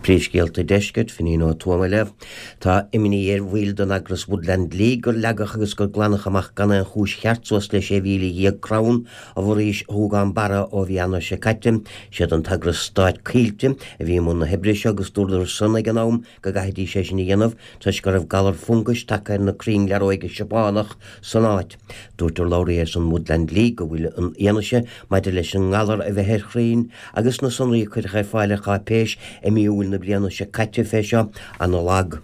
Príomhscéalta Deiscirt, Finín Ó Tuama libh. Tá imní ar bhaill den eagras Woodland League gur leagadh agus gur glanadh amach gan aon chúis cheart suas le 16,000 crann i bhforaois Ghúgán Barra ó mhí Eanáir seo caite. Siad an t-eagras stáit Coillte a bhí i mbun na hoibre seo agus dúradar san ag an am go gcaithfidís é sin a dhéanamh toisc go raibh galar fungais tagtha ar na crainn learóige Seapánach san áit. Dúirt urlabhraí ar son Woodland League go bhfuil an fhianaise maidir leis an ngalar a bheith ar chrainn agus na sonraí a cuireadh ar fáil ar cháipéis i mí Iúil na bliana seo caite fé seo ana-lag.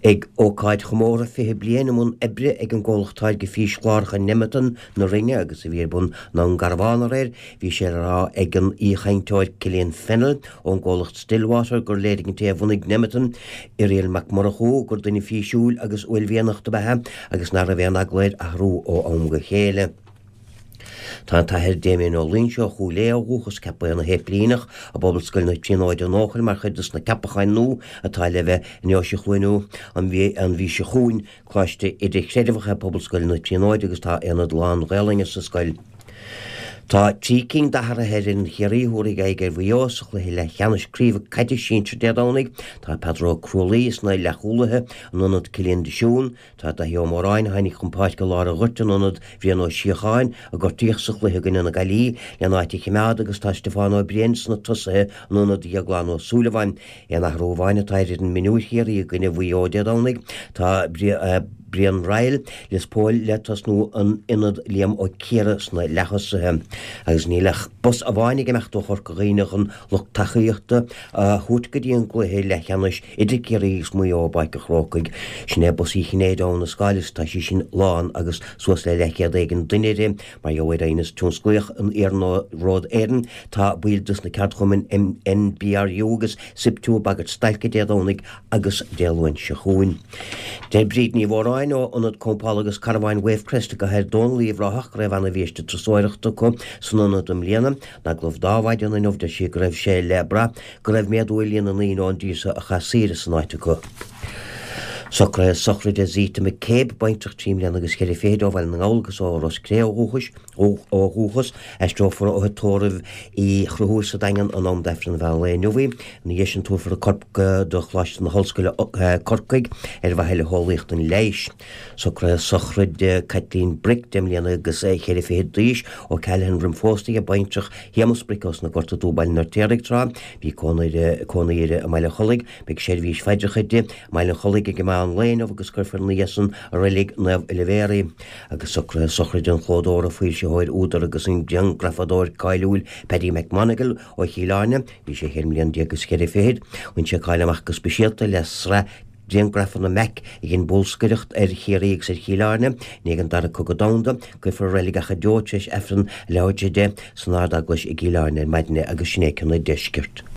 Ag ócáid chomórtha 20 bliain i mbun oibre ag an gcomhlacht táirge físchláracha Nemeton na Rinne agus a bhí ar bun i nDún Garbhán aréir, bhí sé le rá ag an aoichainteoir Cillian Fennell ón gcomhlacht Stillwater gur léirigh an té a bhunaigh Nemeton, Irial Mac Murchú, gur duine físiúil agus uaillmhianach dob ea é agus nach raibh aon eagla air athrú ó am go chéile. Tá an tAthair Damien Ó Loingsigh ó Chúil Aodha ó dhúchas ceaptha ina shéiplíneach i bPobalscoil na Tríonóide in Eochaill mar chuid dos na ceapacháin nua atá le bheith i nDeoise Chluain an mhí seo chugainn. Coláiste idirchreidmheach é Pobalscoil na Tríonóide agus tá aonad lán-Ghaelainne sa scoil. Tá 3 cinn d'athruithe ar fhoireann Chiarraí a thabharfaidh aghaidh ar Mhaigh Eo sa chluiche leathcheannais craoibhe caide sinsir Dé Domhnaigh. Tá Peadar Ó Crualaoi sna leathchúlaithe in ionad Cillian de Siún. Tá Daithí Ó Móráin, a tháinig chun páirce i lár an ghoirt in ionad Bhrian Ó Síocháin, a gortaíodh sa chluiche i gcoinne na Gaillimhe, lena áit a choimeád agus tá Stiofán Ó Briain sna tosaithe in ionad Dhéaglán Ó Súilleabháin. Aon athrú amháin atá ar fhoireann mionúir Chiarraí i gcoinne Mhaigh Eo Dé Domhnaigh, tá Brian Ryle, Lios Póil, le tosnú in ionad Liam Ó Ciardha sna leath-thosaithe. Agus níl ach bus amháin ag imeacht ó Chorca Dhuibhne chun lucht tacaíochta a thabhairt go dtí an gcluiche leathcheannais idir Ciarraí agus Maigh Eo i bPáirc an Chrócaigh. Sin é bus Uí Chinnéide ó Abha na Scáil agus tá sí sin lán agus suas le leathchéad éigin duine uirthi. Mar gheall ar aighneas tionsclaíoch in Iarnród Éireann, tá baill dos na ceardchumainn NBRU agus SIPTU ag bagairt stailce Dé Domhnaigh agus Dé Luain seo chugainn. Deir Bríd Ní Mhóráin ó Ionad Campála agus Carbháin Wavecrest i gCathair Dónall Uíbh Ráthach go raibh ana-bhiaiste turasóireachta acu san ionad i mbliana. In agallamh di ar maidin inniu deir sí go raibh sé le brath go raibh méadú ar líon na ndaoine ón dtír seo a chaith saoire san áit acu. Socruithe sochraide Zita McCabe, baintreach 3 mbliana agus cheithre fichid ó Bhaile na nGall agus ó Ros Cré ó dhúchais, ó dhúchas. Aistreofar ó thigh tórraimh Uí Chonchúir sa Daingean in am d'Aifreann an mheán lae inniu í. Ina dhiaidh sin tabharfar a corp do Choláiste na hOllscoile, Corcaigh, ar mhaithe le heolaíocht an leighis. Socruithe sochraide Caitlín Brick, 10 mbliana agus cheithre fichid d'aois, ó Callahan roim phósadh di, baintreach Shéamus Brick ós na Gorta Dubh, Baile an Fheirtéaraigh, tráth. Bhí cónaí uirthi i mBaile an Chollaigh. Beidh seirbhís phaidreacha di i mBaile an Chollaigh ag an meán lae inniu agus cuirfear ina dhiaidh san i Reilig Naomh Oilibhéar í. Agus socruithe sochraide an chlódóra, foilsitheoir, údar agus an grianghrafadóir cáiliúil Paddy McMonagle ó Chill Airne, bhí sé cheithre mbliana déag is cheithre fichid. Bhain sé cáil amach go speisialta le sraith grianghrafanna Mac a dhein bolscaireacht ar Chiarraí agus ar Chill Airne i ndiaidh an Dara Cogadh Domhanda. Cuirfear i Reilig Achadh Deo tar éis Aifreann a leathuair tar éis 10 san Ard-Eaglais i gCill Airne ar maidin é agus sin é cionn an deiscirt.